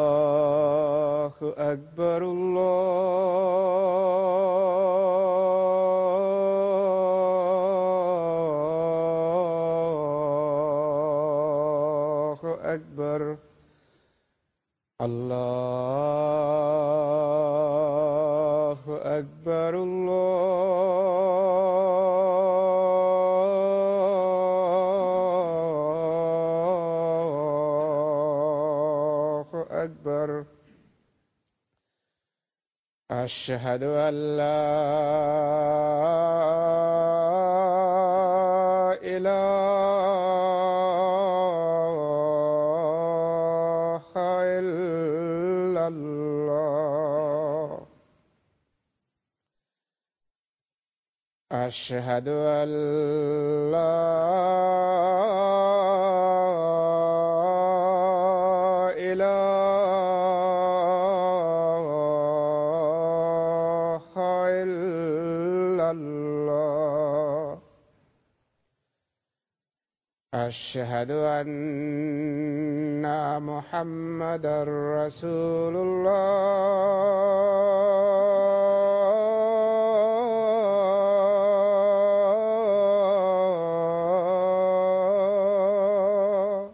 الله أكبر الله أكبر الله أكبر أكبر أشهد أن لا إله إلا الله أشهد أن لا أشهد أن محمدًا رسول الله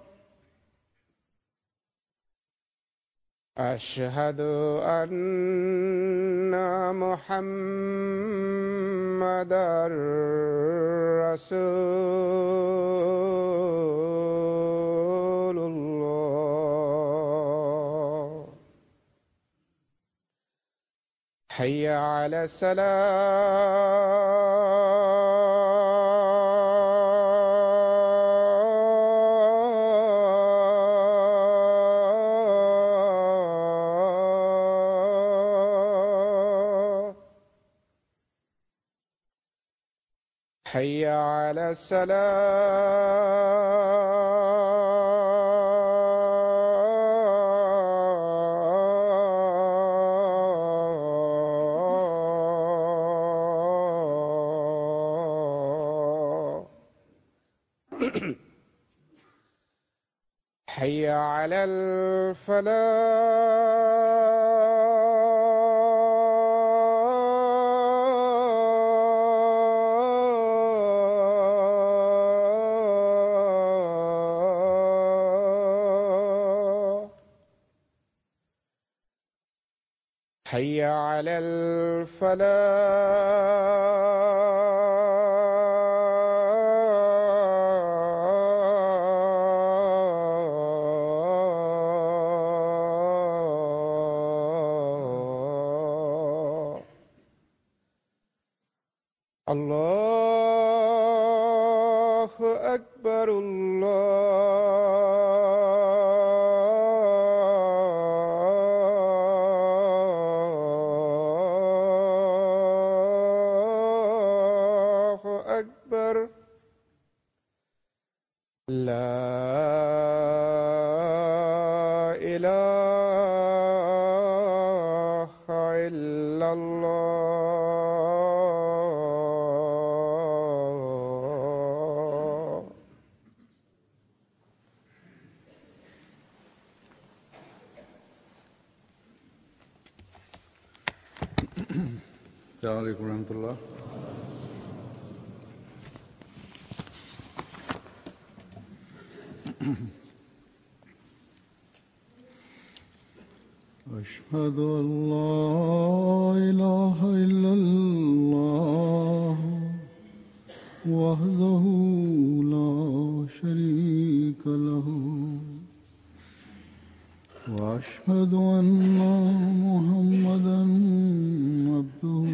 أشهد أن محمدًا رسول الله حي على الصلاة حي على الصلاة حي على الفلاح حي على الفلاح الله أكبر الله أكبر لا إله إلا الله السلام عليكم ورحمة الله. أشهد أن لا إله إلا الله وحده لا شريك له وأشهد أن محمدًا عبده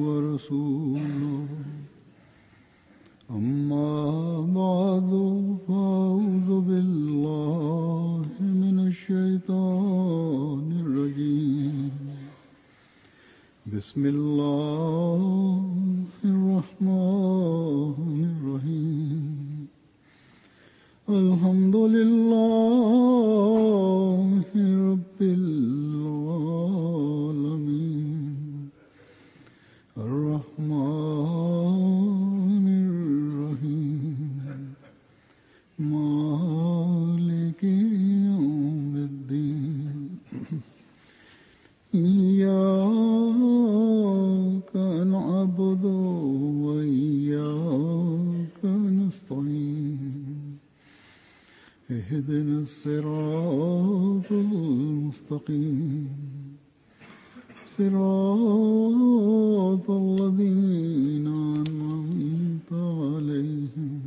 ورسوله أما بعد فأعوذ بالله من الشيطان الرجيم بسم الله الرحمن الرحيم الحمد لله رب العالمين الرحمن الرحيم مالك يوم الدين إياك نعبد وإياك نستعين اهدنا الصراط المستقيم صراط الذين أنعمت عليهم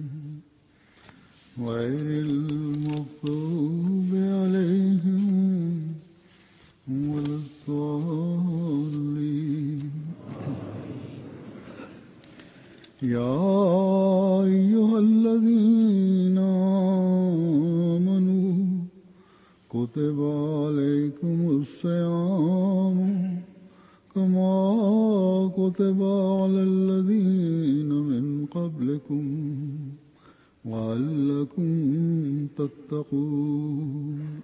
غير المغضوب عليهم ولا الضالين يا أيها الذين آمنوا كتب عليكم الصيام كما كتب على الذين من قبلكم لعلكم تتقون.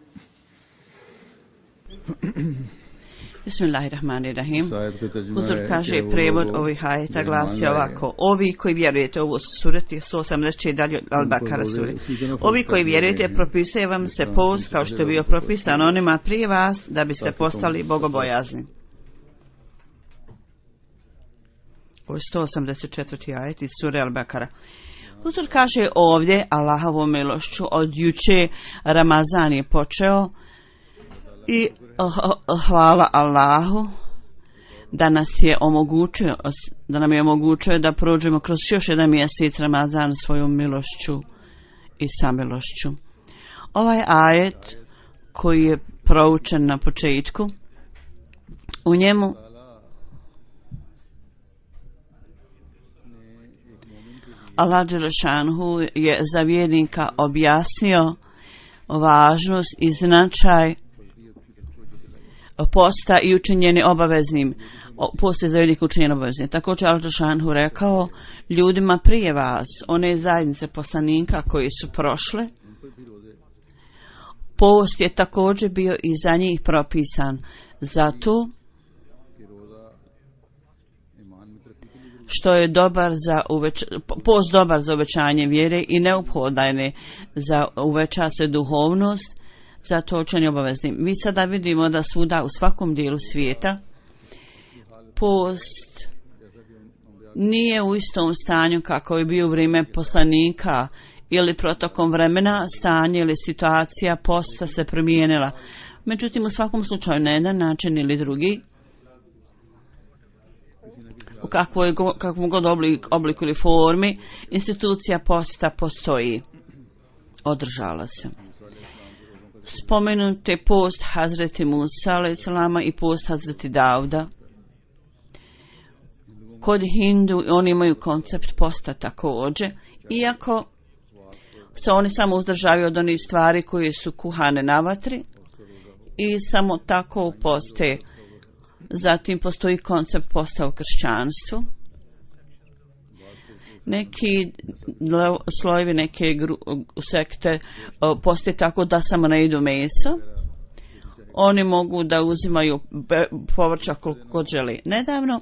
Bismillahirrahmanirrahim. Huzur kaže, prevod ovih ajeta glasi ovako: ovi koji vjerujete, ovo su sureti 180 dalje Al-Bakara sure. Ovi koji vjerujete, propisuje vam se post kao što je bio propisan onima prije vas, da biste postali bogobojazni. Ovo je 184. ajet iz sure Al-Bakara. Huzur kaže ovdje, Allahovom milošću, od juče Ramazan je počeo i hvala Allahu da nam je omogućio da prođemo kroz još jedan mjesec Ramazan svojom milošću i samilošću. Ovaj ajet koji je proučen na početku, u njemu Allah dželešanhu je za vjernika objasnio važnost i značaj posta i učinjeni obaveznim. Post je za vjernika učinjen obaveznim. Također Allah dželešanhu rekao ljudima prije vas, one zajednice poslanika koji su prošle, post je također bio i za njih propisan. Zato što je post dobar za uvećanje vjere i neophodan je za uveća se duhovnost, zato učinjen obaveznim. Mi sada vidimo da svuda u svakom dijelu svijeta post nije u istom stanju kako je bio u vrijeme poslanika ili protokom vremena stanje ili situacija posta se promijenila. Međutim, u svakom slučaju na jedan način ili drugi, u kakvom god obliku ili formi, institucija posta postoji, održala se. Spomenut je post Hazreti Musa alejselama i post Hazreti Dauda. Kod Hindu oni imaju koncept posta također, iako se oni samo uzdržavaju od onih stvari koje su kuhane na vatri i samo tako poste. Zatim postoji koncept posta u kršćanstvu. Neki slojevi, neke sekte poste tako da samo ne jedu meso. Oni mogu da uzimaju povrća koliko god želi. Nedavno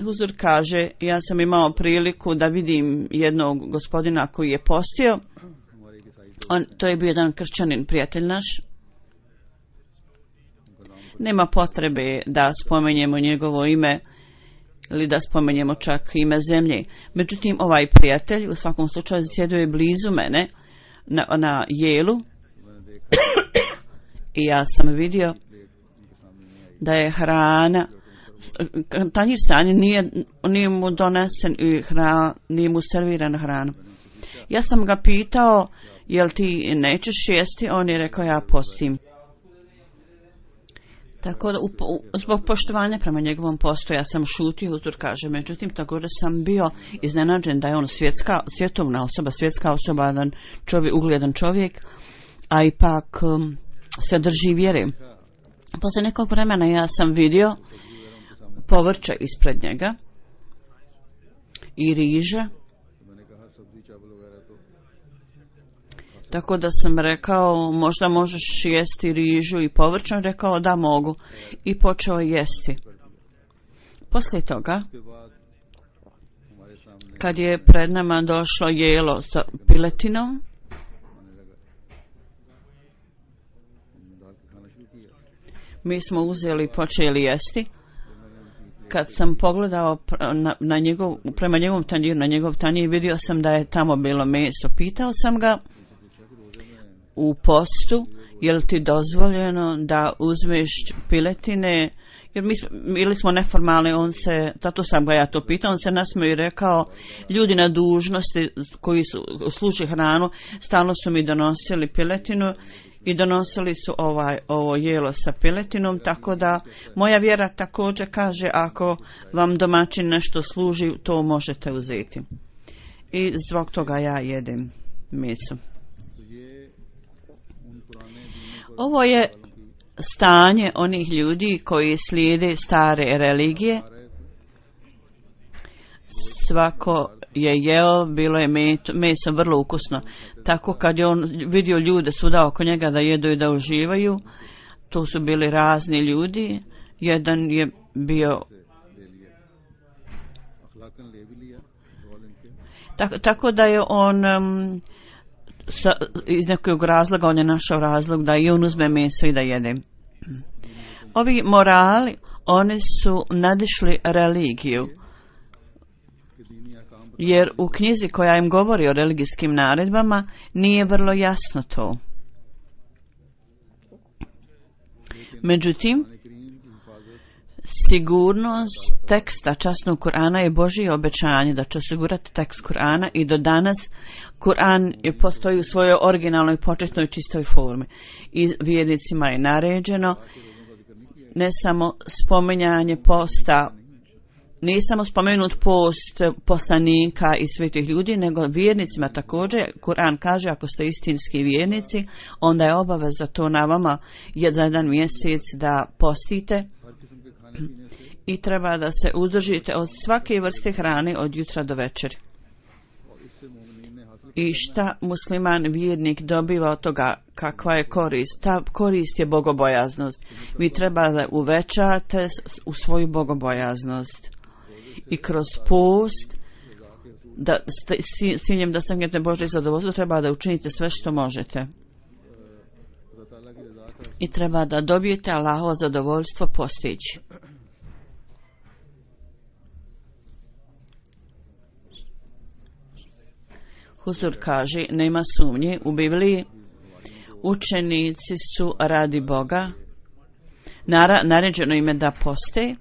Huzur kaže, ja sam imao priliku da vidim jednog gospodina koji je postio. To je bio jedan kršćanin, prijatelj naš. Nema potrebe da spomenjemo njegovo ime ili da spomenjemo čak ime zemlje. Međutim, ovaj prijatelj u svakom slučaju sjedio je blizu mene na jelu i ja sam vidio da je hrana, tanjir stanje, nije mu donesen i nije mu servirana hrana. Ja sam ga pitao, jel ti nećeš jesti? On je rekao, ja postim. Tako da zbog poštovanja prema njegovom postu ja sam šutio, Huzur kaže. Međutim, također sam bio iznenađen da je on svjetovna osoba, svjetska osoba, jedan ugledan čovjek, a ipak se drži vjere. Poslije nekog vremena ja sam vidio povrće ispred njega i riža Tako da sam rekao, možda možeš jesti rižu i povrće, rekao da mogu i počeo jesti. Poslije toga, kad je pred nama došlo jelo sa piletinom, mi smo uzeli i počeli jesti. Kad sam pogledao prema njegovom tanjiru, na njegov tanjir, vidio sam da je tamo bilo meso. Pitao sam ga u postu, je li ti dozvoljeno da uzmeš piletine, jer bili smo neformalni, zato sam ga ja to pitao, on se nasmeo i rekao, ljudi na dužnosti koji služe hranu, stalno su mi donosili piletinu i donosili su ovo jelo sa piletinom, tako da moja vjera također kaže, ako vam domaćin nešto služi, to možete uzeti. I zbog toga ja jedem meso. Ovo je stanje onih ljudi koji slijede stare religije. Svako je jeo, bilo je meso vrlo ukusno. Tako kad je on vidio ljude svuda oko njega da jedu i da uživaju, to su bili razni ljudi. Jedan je bio tako da je on iz nekog razloga, on je našao razlog da i on uzme meso i da jede. Ovi morali, oni su nadišli religiju, jer u knjizi koja im govori o religijskim naredbama nije vrlo jasno to. Međutim, sigurnost teksta časnog Kur'ana je Božje obećanje da će osigurati tekst Kur'ana i do danas Kur'an postoji u svojoj originalnoj, početnoj, čistoj formi. I vjernicima je naređeno ne samo spominjanje posta, nije samo spomenut post poslanika i svetih ljudi, nego vjernicima također. Kur'an kaže, ako ste istinski vjernici, onda je obaveza to na vama jedan mjesec da postite i treba da se uzdržite od svake vrste hrane od jutra do večeri. I šta musliman vjernik dobiva od toga, kakva je korist? Ta korist je bogobojaznost. Vi treba da uvećate u svoju bogobojaznost. I kroz post, s ciljem da stignete Božje zadovoljstvo, treba da učinite sve što možete. I treba da dobijete Allahovo zadovoljstvo postići. Huzur kaže, nema sumnje, u Bibliji učenici su radi Boga, naređeno im je da poste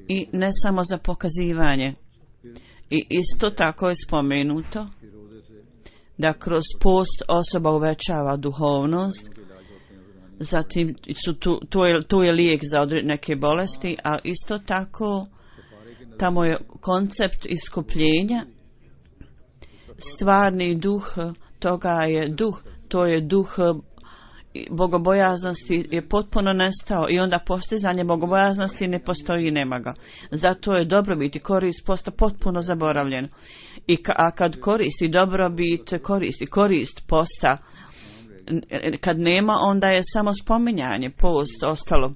i ne samo za pokazivanje. I isto tako je spomenuto da kroz post osoba uvećava duhovnost, zatim to je lijek za neke bolesti, ali isto tako tamo je koncept iskupljenja. Stvarni duh toga je duh, to je duh bogobojaznosti je potpuno nestao i onda postizanje bogobojaznosti ne postoji i nema ga. Zato je dobrobit i korist posta potpuno zaboravljen. A kad koristi dobrobit, korist posta, kad nema, onda je samo spominjanje, post ostalo.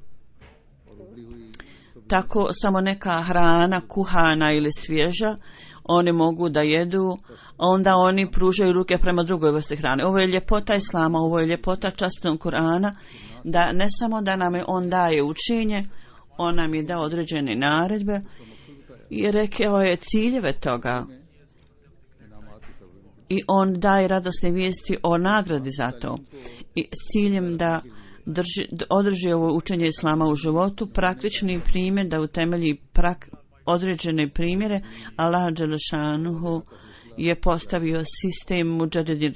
Tako samo neka hrana, kuhana ili svježa, oni mogu da jedu, onda oni pružaju ruke prema drugoj vrsti hrane. Ovo je ljepota Islama, ovo je ljepota časnog Kur'ana, da ne samo da nam je on daje učenje, on nam je dao određene naredbe i rekao je ciljeve toga. I on daje radosne vijesti o nagradi za to. I s ciljem da održi ovo učenje Islama u životu, praktični primjer da utemelji određene primjere, Allah dželešanuhu je postavio sistem muđadidi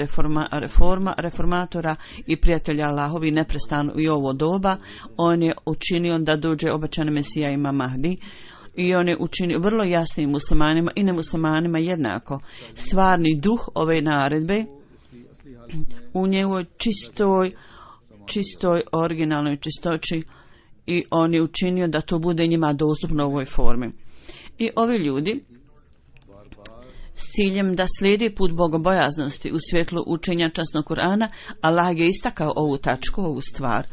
reformatora i prijatelja Allahovi neprestano i ovo doba. On je učinio da dođe obećani Mesija Imam Mahdi i on je učinio vrlo jasnim muslimanima i nemuslimanima jednako. Stvarni duh ove naredbe u njegovoj čistoj originalnoj čistoći i on je učinio da to bude njima dostupno u ovoj formi. I ovi ljudi s ciljem da slijedi put bogobojaznosti u svjetlu učenja časnog Kur'ana, Allah je istakao ovu tačku, ovu stvar.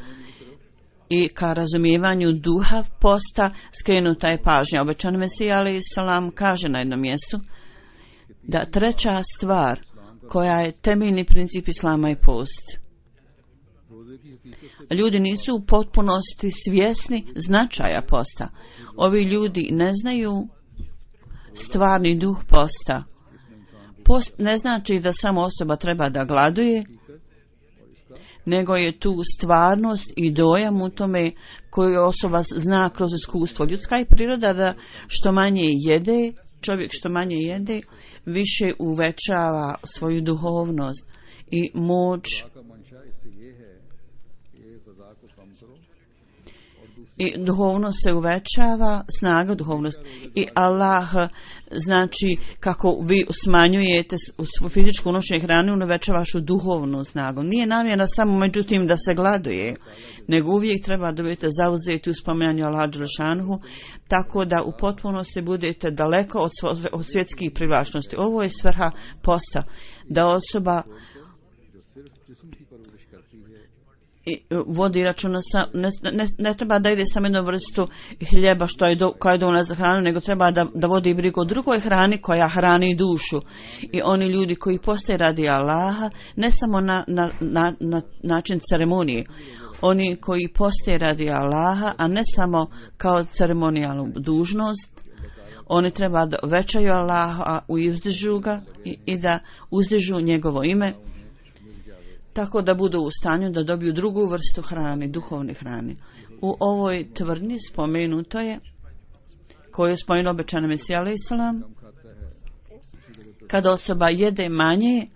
I ka razumijevanju duha posta skrenuta je pažnja. Obećani Mesija alejhi selam kaže na jednom mjestu da treća stvar koja je temeljni princip islama je post. Ljudi nisu u potpunosti svjesni značaja posta. Ovi ljudi ne znaju stvarni duh posta. Post ne znači da samo osoba treba da gladuje, nego je tu stvarnost i dojam u tome koju osoba zna kroz iskustvo. Ljudska je priroda da što manje jede, čovjek što manje jede, više uvećava svoju duhovnost i moć i duhovnost se uvećava, snaga duhovnost. I Allah, znači, kako vi smanjujete u fizičku unošenje hrane, on uvećava vašu duhovnu snagu. Nije namjera samo, međutim, da se gladuje, nego uvijek treba da budete zauzeti u spominjanju Allaha dželešanuhu, tako da u potpunosti budete daleko od svjetskih privlačnosti. Ovo je svrha posta, da osoba i vodi računa ne treba da ide samo jednu vrstu hljeba koja je dovoljna za hranu, nego treba da vodi brigu o drugoj hrani koja hrani dušu. I oni ljudi koji postaje radi Allaha, ne samo na način ceremonije, oni koji postaje radi Allaha, a ne samo kao ceremonijalnu dužnost, oni treba da većaju Allaha i uzdižu ga i da uzdižu njegovo ime, tako da budu u stanju da dobiju drugu vrstu hrane, duhovne hrane. U ovoj tvrdnji spomenuto je, koju je spomenuo obećani Mesija alejhi selam, kada osoba jede manje,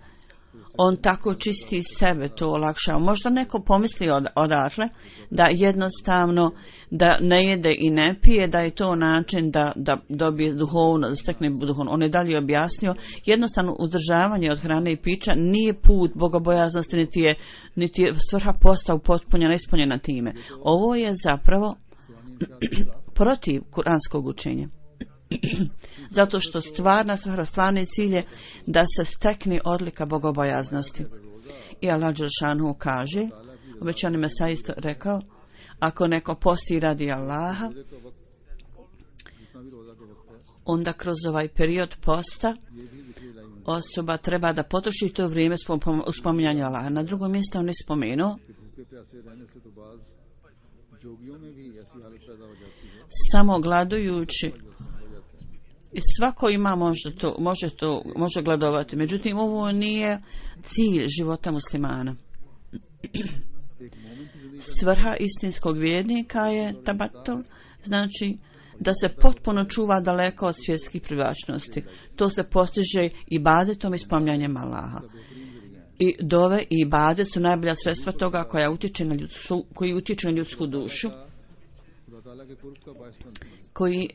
on tako čisti sebe, to olakšava. Možda neko pomisli odatle da jednostavno da ne jede i ne pije, da je to način da dobije duhovno, da stekne duhovno. On je dalje objasnio, jednostavno uzdržavanje od hrane i pića nije put bogobojaznosti, niti je svrha posta upotpunjena, ispunjena time. Ovo je zapravo protiv kuranskog učenja. Zato što stvarni cilj je da se stekne odlika bogobojaznosti. I Allah dželešanuhu kaže, obećani Mesija isto rekao, ako neko posti radi Allaha, onda kroz ovaj period posta osoba treba da potroši to vrijeme u spominjanju Allaha. Na drugom mjestu on je spomenuo samo gladujući. I svako ima može gladovati. Međutim, ovo nije cilj života muslimana. Svrha istinskog vjernika je tabatul, znači da se potpuno čuva daleko od svjetskih privlačnosti. To se postiže ibadetom i spominjanjem Allaha. I dove i ibadet su najbolja sredstva toga koji utječu na ljudsku dušu, koji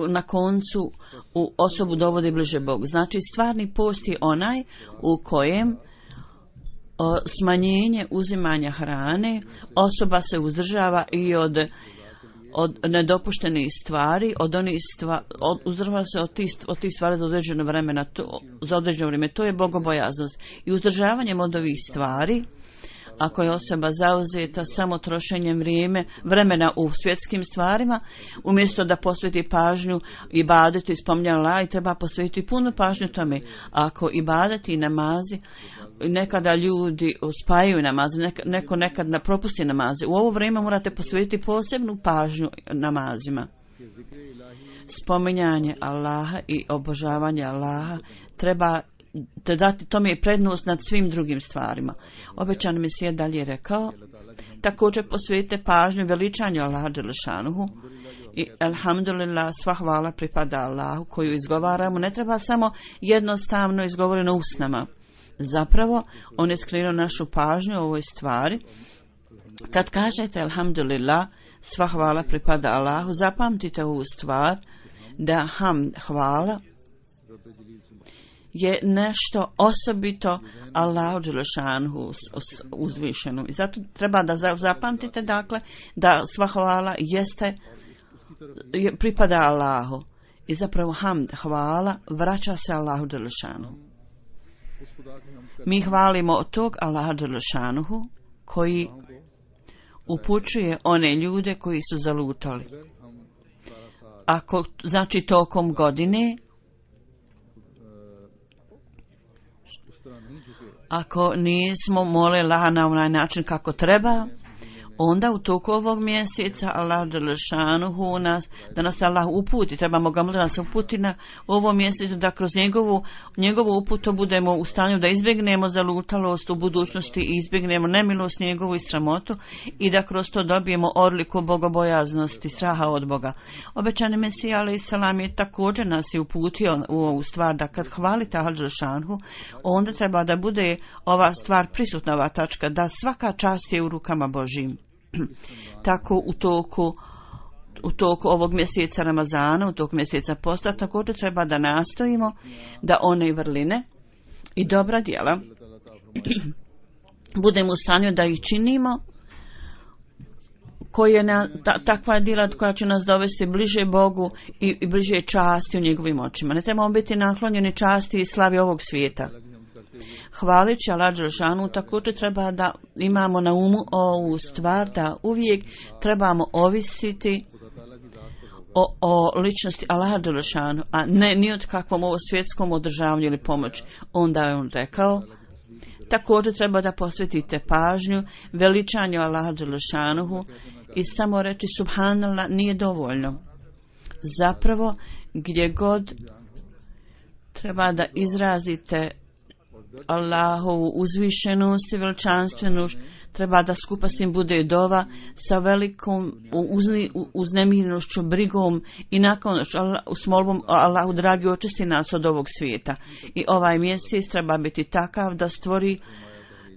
na koncu u osobu dovodi bliže Bogu. Znači, stvarni post je onaj u kojem smanjenje uzimanja hrane, osoba se uzdržava i od nedopuštenih stvari, uzdržava se od tih stvari za određeno vrijeme. To je bogobojaznost. I uzdržavanjem od ovih stvari, ako je osoba zauzeta samo trošenjem vremena u svjetskim stvarima, umjesto da posveti pažnju ibadetu i spominjanju Allaha, treba posvetiti puno pažnju tome. Ako ibadeti i namazi, nekada ljudi spajaju namaze, neko nekad propusti namaze. U ovo vrijeme morate posvetiti posebnu pažnju namazima. Spominjanje Allaha i obožavanje Allaha treba te dati tome je prednost nad svim drugim stvarima. Obećani Mesija dalje rekao, također posvetite pažnju veličanju Allaha dželešanuhu i alhamdulillah, sva hvala pripada Allahu koju izgovaramo. Ne treba samo jednostavno izgovoreno usnama. Zapravo, on je skrenuo našu pažnju o ovoj stvari. Kad kažete alhamdulillah, sva hvala pripada Allahu, zapamtite ovu stvar da hvala je nešto osobito Allahu dželešanuhu uzvišeno. I zato treba da zapamtite, dakle, da sva hvala pripada Allahu I zapravo hamd, hvala, vraća se Allahu dželešanu. Mi hvalimo od tog Allaha dželešanuhu koji upućuje one ljude koji su zalutali. Ako, znači tokom godine, ako nismo molili Allaha na onaj način kako treba, onda u toku ovog mjeseca Allah dželešanuhu da nas Allah uputi, trebamo ga moliti da nas uputi na ovo mjesecu, da kroz njegovu uputu budemo u stanju da izbjegnemo zalutalost u budućnosti i izbjegnemo nemilost njegovu i sramotu i da kroz to dobijemo odliku bogobojaznosti, straha od Boga. Obećani Mesija alejhi selam je također nas i uputio u ovu stvar da kad hvalite Allah dželešanuhu, onda treba da bude ova stvar prisutna, ova tačka, da svaka čast je u rukama Božjim. Tako u toku ovog mjeseca Ramazana, u toku mjeseca posta, također treba da nastojimo da one vrline i dobra djela budemo u stanju da ih činimo, takva djela koja će nas dovesti bliže Bogu i bliže časti u njegovim očima. Ne trebamo biti naklonjeni časti i slavi ovog svijeta. Hvalići Allah dželešanu, također treba da imamo na umu ovu stvar da uvijek trebamo ovisiti o ličnosti Allaha dželešanu, a ne ni od kakvom ovo svjetskom održavanju ili pomoći. Onda je on rekao, također treba da posvetite pažnju veličanju Allaha dželešanuhu i samo reći subhanallah nije dovoljno. Zapravo, gdje god treba da izrazite Allahovu uzvišenost i veličanstvenošću, treba da skupa s tim bude dova sa velikom uznemirenošću, brigom i naklonošću s molbom Allahu dragi očisti nas od ovog svijeta. I ovaj mjesec treba biti takav da stvori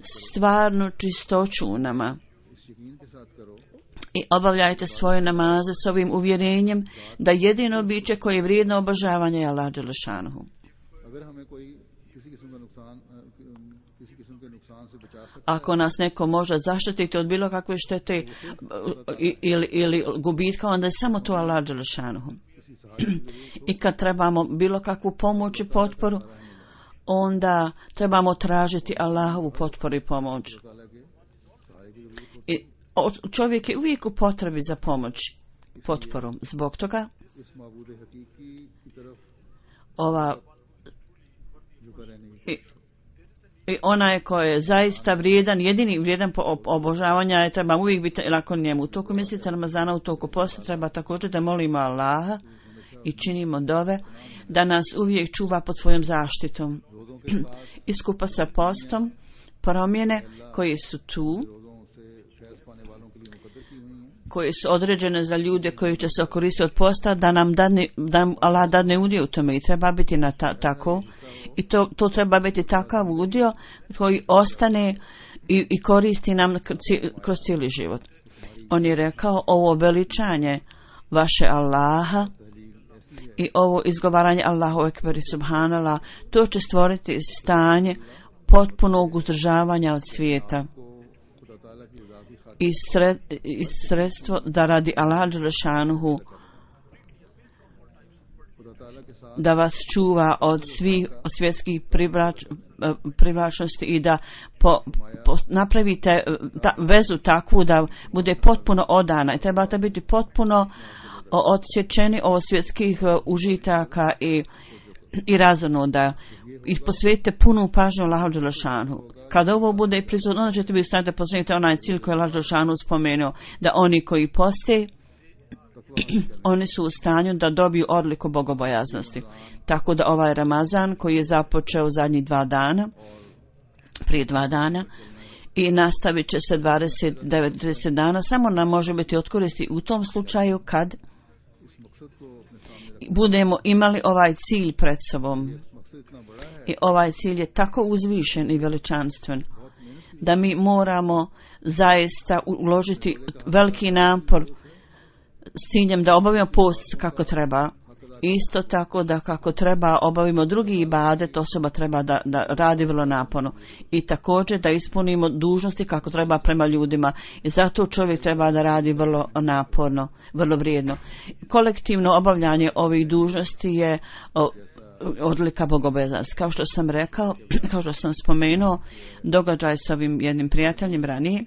stvarnu čistoću u nama. I obavljajte svoje namaze s ovim uvjerenjem da jedino biće koje je vrijedno obožavanja je Allah dželešanuhu. Ako nas neko može zaštititi od bilo kakve štete ili gubitka, onda je samo to Allah dželešanuhu. I kad trebamo bilo kakvu pomoć i potporu, onda trebamo tražiti Allahovu potporu i pomoć. I čovjek je uvijek u potrebi za pomoć i potporom. Zbog toga i onaj koji je zaista vrijedan, jedini vrijedan obožavanja je treba uvijek biti nakon njemu. U toku mjeseca Ramazana, u toku posta treba također da molimo Allaha i činimo dove da nas uvijek čuva pod svojom zaštitom. I skupa sa postom promjene koje su tu, koje su određene za ljude koji će se koristiti od posta, da nam Allah dadne udio u tome i treba biti tako. I to treba biti takav udio koji ostane i koristi nam kroz cijeli život. On je rekao, ovo veličanje vaše Allaha i ovo izgovaranje Allahu ekber i subhanallah, to će stvoriti stanje potpunog uzdržavanja od svijeta i sredstvo da radi Allah dželešanuhu da vas čuva od svih svjetskih privlačnosti i da napravite vezu takvu da bude potpuno odana i trebate biti potpuno odsječeni od svjetskih užitaka i razonoda i posvetite punu pažnju Allahu dželešanuhu. Kada ovo bude prisutno, onda ćete biti u stanju da posvetite onaj cilj koji je Allah dželešanuhu spomenuo, da oni koji poste, oni su u stanju da dobiju odliku bogobojaznosti. Tako da ovaj Ramazan koji je započeo zadnjih 2 dana, prije 2 dana, i nastavit će se 29-30 dana, samo nam može biti od koristi u tom slučaju kad budemo imali ovaj cilj pred sobom. I ovaj cilj je tako uzvišen i veličanstven da mi moramo zaista uložiti veliki napor s ciljem da obavimo post kako treba Isto tako da kako treba obavimo drugi ibadet, osoba treba da radi vrlo naporno. I također da ispunimo dužnosti kako treba prema ljudima. I zato čovjek treba da radi vrlo naporno, vrlo vrijedno. Kolektivno obavljanje ovih dužnosti je odlika bogobojaznosti. Kao što sam rekao, kao što sam spomenuo, događaj s ovim jednim prijateljem ranije,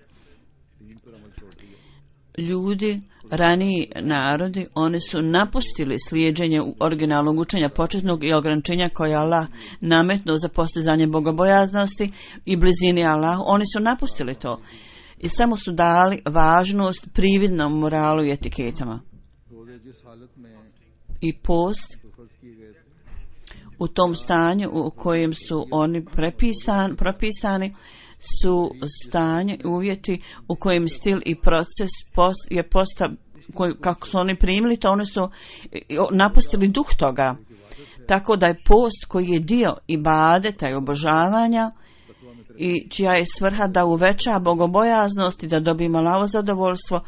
ljudi, raniji narodi, oni su napustili slijeđenje originalnog učenja početnog i ograničenja koje Allah nametnuo za postizanje bogobojaznosti i blizini Allah. Oni su napustili to i samo su dali važnost prividnom moralu i etiketama. I post u tom stanju u kojem su oni propisani su stanje, uvjeti u kojem stil i proces je kako su oni primili to, oni su napustili duh toga. Tako da je post koji je dio ibadeta i obožavanja i čija je svrha da uveća bogobojaznost i da dobijemo Allahovo zadovoljstvo,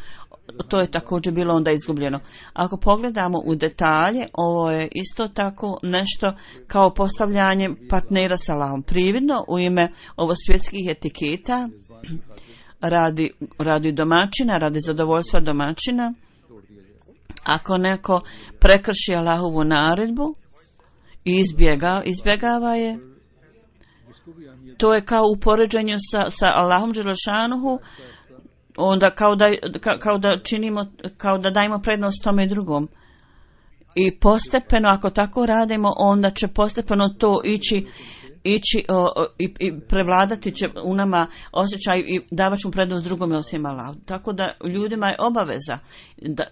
to je također bilo onda izgubljeno. Ako pogledamo u detalje, ovo je isto tako nešto kao postavljanje partnera sa Allahom. Prividno u ime ovo svjetskih etiketa radi domaćina, radi zadovoljstva domaćina. Ako neko prekrši Allahovu naredbu i izbjegava je, to je kao u poređenju sa Allahom dželešanuhu, onda kao da dajemo prednost tome drugom. I postepeno, ako tako radimo, onda će postepeno to ići i prevladati će u nama osjećaj i davat ćemo prednost drugome osim Allahu. Tako da ljudima je obaveza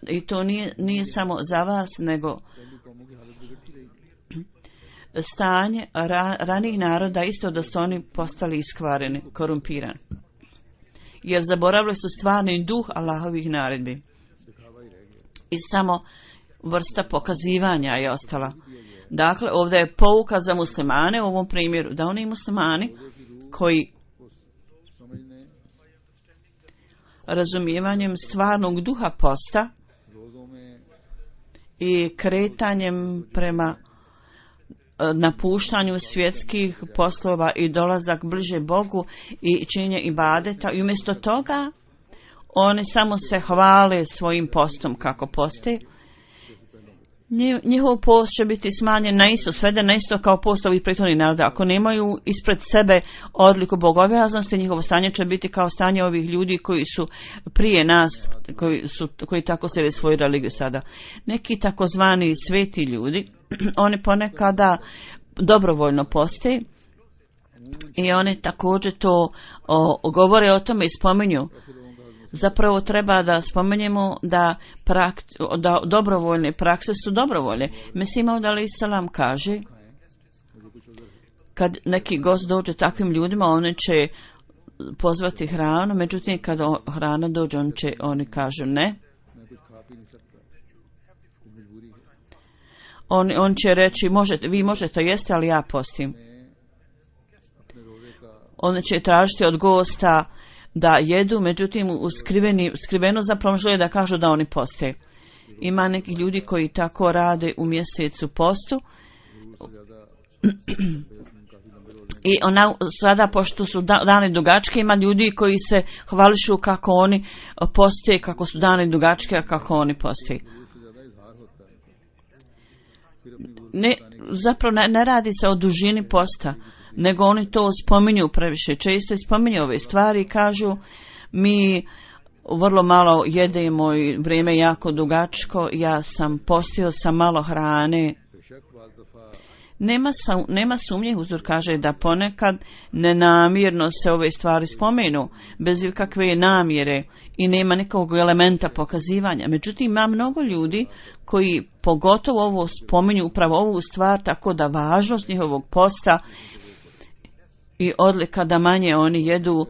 i to nije samo za vas, nego stanje ranijih naroda isto da su oni postali iskvareni, korumpirani. Jer zaboravili su stvarni duh Allahovih naredbi. I samo vrsta pokazivanja je ostala. Dakle, ovdje je pouka za muslimane u ovom primjeru, da oni muslimani koji razumijevanjem stvarnog duha posta i kretanjem prema napuštanju svjetskih poslova i dolazak bliže Bogu i činjenje ibadeta, i umjesto toga oni samo se hvale svojim postom kako poste. Njihov post će biti smanjen na isto, sveden na isto kao post ovih prethodnih naroda. Ako nemaju ispred sebe odliku bogobojaznosti, njihovo stanje će biti kao stanje ovih ljudi koji su prije nas, koji tako slijede svoju religiju sada. Neki takozvani sveti ljudi, oni ponekada dobrovoljno poste i oni također to govore o tome i spominju. Zapravo treba da spomenemo da dobrovoljne prakse su dobrovolje. Mesih Maud alejhi selam kaže, kad neki gost dođe takvim ljudima, oni će pozvati hranu, međutim kad hrana dođe, oni kažu ne. On će reći, vi možete jesti, ali ja postim. Oni će tražiti od gosta da jedu, međutim skriveno zapravo žele da kažu da oni poste. Ima nekih ljudi koji tako rade u mjesecu postu i sada, pošto su dani dugačke, ima ljudi koji se hvališu kako oni poste, kako su dani dugačke, a kako oni poste. Zapravo ne radi se o dužini posta, nego oni to spominju previše često i spominju ove stvari i kažu mi vrlo malo jedemo i vrijeme jako dugačko, ja sam postio sa malo hrane. Nema sumnje, Huzur kaže da ponekad nenamjerno se ove stvari spomenu, bez kakve namjere i nema nekog elementa pokazivanja. Međutim, ima mnogo ljudi koji pogotovo ovo spominju, upravo ovu stvar, tako da važnost njihovog posta i odlika da manje oni jedu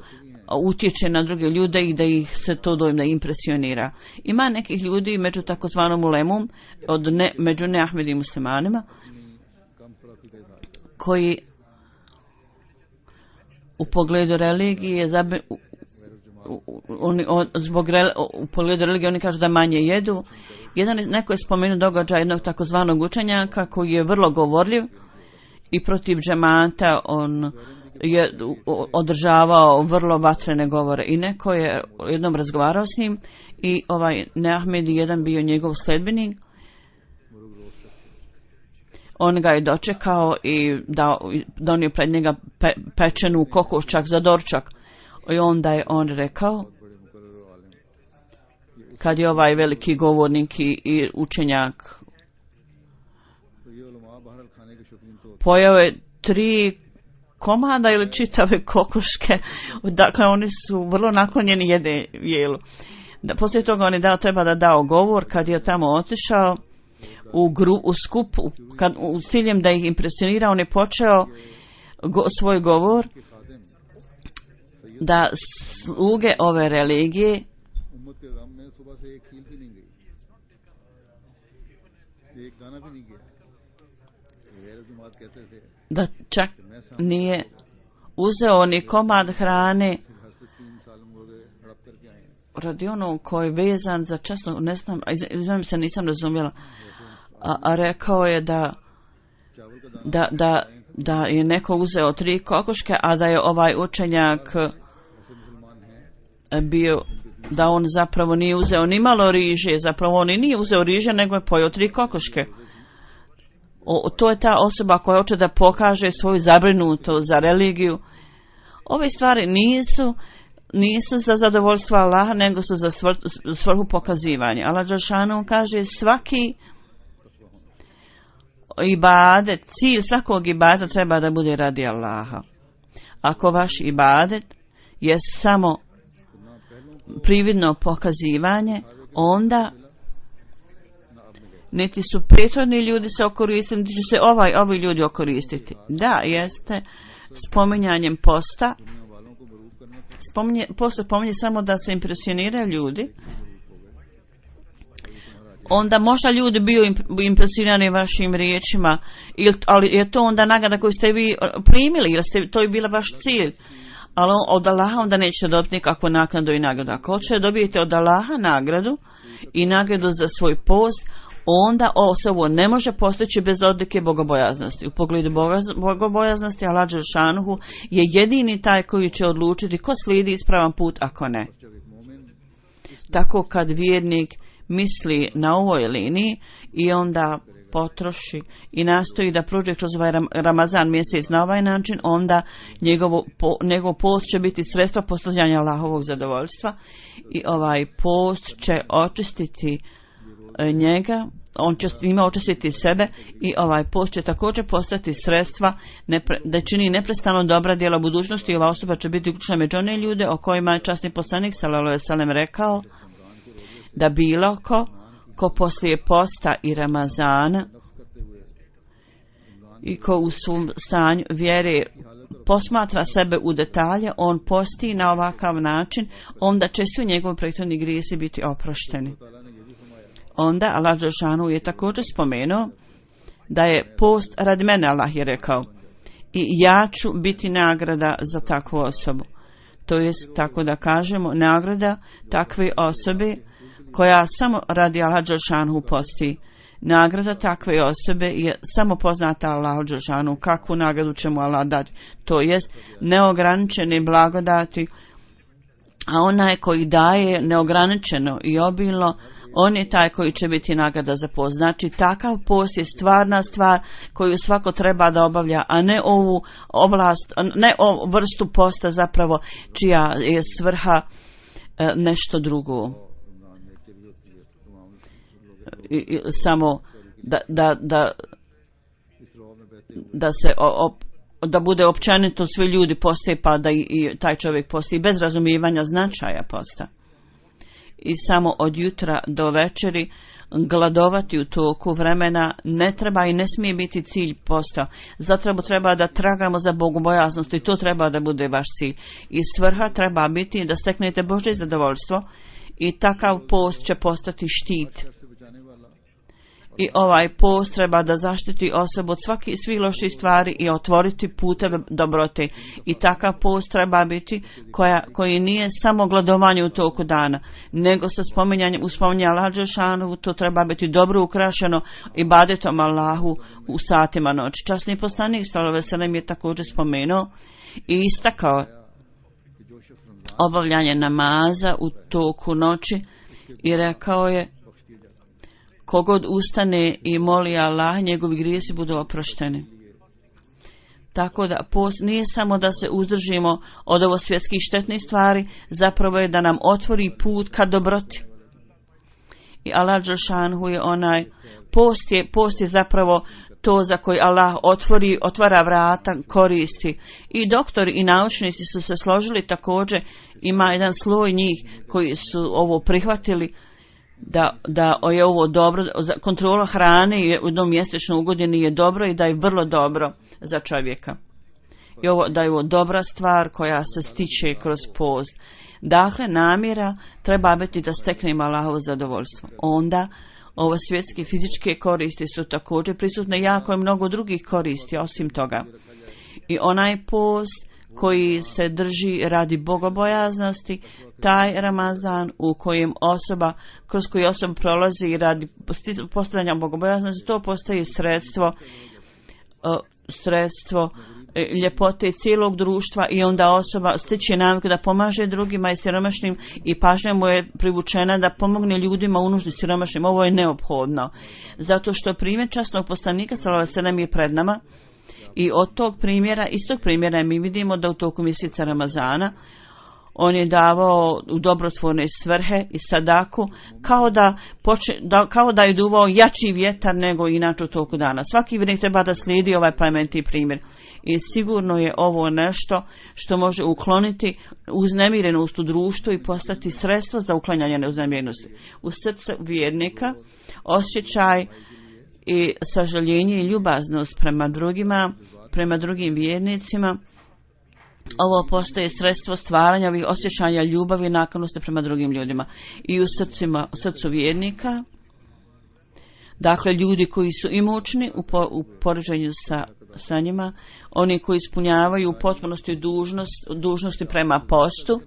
utječe na druge ljude i da ih se to doima impresionira. Ima nekih ljudi među takozvanom ulemom, među neahmedim muslimanima, koji u pogledu religije u pogledu religije oni kažu da manje jedu. Neko je spomenuo događaj jednog takozvanog učenjaka koji je vrlo govorljiv i protiv džemata on je održavao vrlo vatrene govore i neko je jednom razgovarao s njim i Neahmed jedan bio njegov sledbenik. On ga je dočekao i donio pred njega pečenu kokoščak za doručak. I onda je on rekao, kad je ovaj veliki govornik i učenjak pojeo je 3 komada ili čitave kokoške, dakle oni su vrlo naklonjeni jelu. Poslije toga on je treba da dao govor. Kad je tamo otišao u skupu, u ciljem da ih impresionira, on je počeo svoj govor da sluge ove religije da čak nije uzeo ni komad hrane radi onog koji je vezan za časno, ne znam se, nisam razumjela, a rekao je da je neko uzeo 3 kokoške, a da je ovaj učenjak bio, da on zapravo nije uzeo ni malo riže, zapravo on i nije uzeo riže, nego je pojeo 3 kokoške. To je ta osoba koja hoće da pokaže svoju zabrinutost za religiju. Ove stvari nisu za zadovoljstvo Allaha, nego su za svrhu pokazivanja. Allah dželešanu kaže svaki ibadet, cilj svakog ibadeta treba da bude radi Allaha. Ako vaš ibadet je samo prividno pokazivanje, onda niti su prethodni ljudi se okoristili, niti će se ovi ljudi okoristiti. Da, jeste spominjanjem posta. Post spominje samo da se impresioniraju ljudi. Onda možda ljudi bio impresionirani vašim riječima, ali je to onda nagrada koju ste vi primili, jer to je bila vaš cilj. Ali od Allaha onda nećete dobiti nikakvu naknadu i nagradu. Ako hoćete dobijete od Allaha nagradu i nagradu za svoj post, onda osobu ne može postići bez odlike bogobojaznosti. U pogledu bogobojaznosti Allah dželešanu je jedini taj koji će odlučiti ko slijedi ispravan put, ako ne. Tako kad vjernik misli na ovoj liniji i onda potroši i nastoji da prođe kroz ovaj Ramazan mjesec na ovaj način, onda njegov post će biti sredstvo postizanja Allahovog zadovoljstva i ovaj post će očistiti njega, on će s njima očistiti sebe i ovaj post će također postati sredstva da čini neprestano dobra djela u budućnosti i ova osoba će biti uključena među one ljude o kojima je časni poslanik sallallahu alejhi ve sellem rekao da bilo ko poslije posta i Ramazana i ko u svom stanju vjere posmatra sebe u detalje, on posti na ovakav način, onda će svi njegovi prethodni grijesi biti oprošteni. Onda Allah dželešanu je također spomenuo da je post radi mene, Allah je rekao, i ja ću biti nagrada za takvu osobu. To je, tako da kažemo, nagrada takve osobe koja samo radi Allah dželešanu posti. Nagrada takve osobe je samo poznata Allahu dželešanu. Kakvu nagradu će mu Allah dati? To jest neograničene blagodati, a onaj koji daje neograničeno i obilno, on je taj koji će biti nagrada za post. Znači, takav post je stvarna stvar koju svako treba da obavlja, a ne ovu oblast, ne ovu vrstu posta zapravo čija je svrha nešto drugo. Samo da bude općenito svi ljudi poste, pa da i taj čovjek posti bez razumijevanja značaja posta. I samo od jutra do večeri gladovati u toku vremena ne treba i ne smije biti cilj posta. Zato treba da tragamo za bogobojaznost i to treba da bude vaš cilj. I svrha treba biti da steknete Božje zadovoljstvo i takav post će postati štit. I ovaj post treba da zaštiti osobu od svih loših stvari i otvoriti puteve dobrote. I takav post treba biti koji nije samo gladovanje u toku dana, nego sa spominjanjem Allaha dželešanu, to treba biti dobro ukrašeno ibadetom Allahu u satima noći. Časni poslanik sallallahu alejhi ve sellem je također spomenuo i istakao obavljanje namaza u toku noći i rekao je: kogod ustane i moli Allah, njegovi grijesi budu oprošteni. Tako da post nije samo da se uzdržimo od ovo svjetskih štetnih stvari, zapravo je da nam otvori put ka dobroti. I Allah dželešanu je onaj, post je zapravo to za koji Allah otvara vrata koristi. I doktori i naučnici su se složili također, ima jedan sloj njih koji su ovo prihvatili, da je ovo dobro, kontrola hrane u jednom mjesečno ugodini je dobro i da je vrlo dobro za čovjeka. I da je ovo dobra stvar koja se stiče kroz post. Dakle, namjera treba biti da steknemo Allahovo zadovoljstvo. Onda ove svjetske fizičke koristi su također prisutne, jako je mnogo drugih koristi osim toga. I onaj post koji se drži radi bogobojaznosti, taj Ramazan kroz koji osoba prolazi radi postavljanja bogobojaznosti, to postaje sredstvo ljepote cijelog društva i onda osoba stiče naviku da pomaže drugima i siromašnim i pažnja mu je privučena da pomogne ljudima u nuždi siromašnim. Ovo je neophodno. Zato što primjer časnog poslanika sallallahu alejhi ve sellem je pred nama i iz tog primjera mi vidimo da u toku mjeseca Ramazana on je davao u dobrotvorne svrhe i sadaku kao da je duvao jači vjetar nego inače u toku dana. Svaki vjernik treba da slijedi ovaj plemeniti primjer. I sigurno je ovo nešto što može ukloniti uznemirenost u društvu i postati sredstvo za uklanjanje neuznemirenosti. U srcu vjernika osjećaj i sažaljenje i ljubaznost prema drugim vjernicima, ovo postaje sredstvo stvaranja ovih osjećanja ljubavi i naklonosti prema drugim ljudima. I u srcu vjernika, dakle ljudi koji su imućni u poređenju sa njima, oni koji ispunjavaju u potpunosti dužnosti prema postu,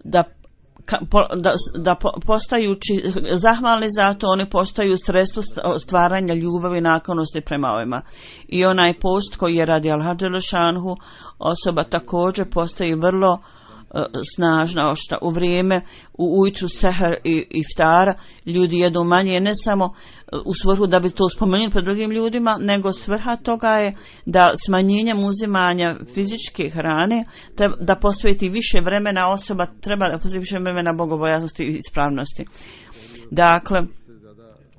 da postajući zahvalni za to, oni postaju sredstvo stvaranja ljubavi i naklonosti prema ovima. I onaj post koji je radi Allaha dželešanu, osoba također postaje vrlo snažna ošta. U vrijeme ujutru seher i iftara ljudi jedu manje, ne samo u svrhu da bi to spomenuli pred drugim ljudima, nego svrha toga je da smanjenjem uzimanja fizičke hrane da posveti više vremena, osoba treba da posveti više vremena bogobojaznosti i ispravnosti. Dakle,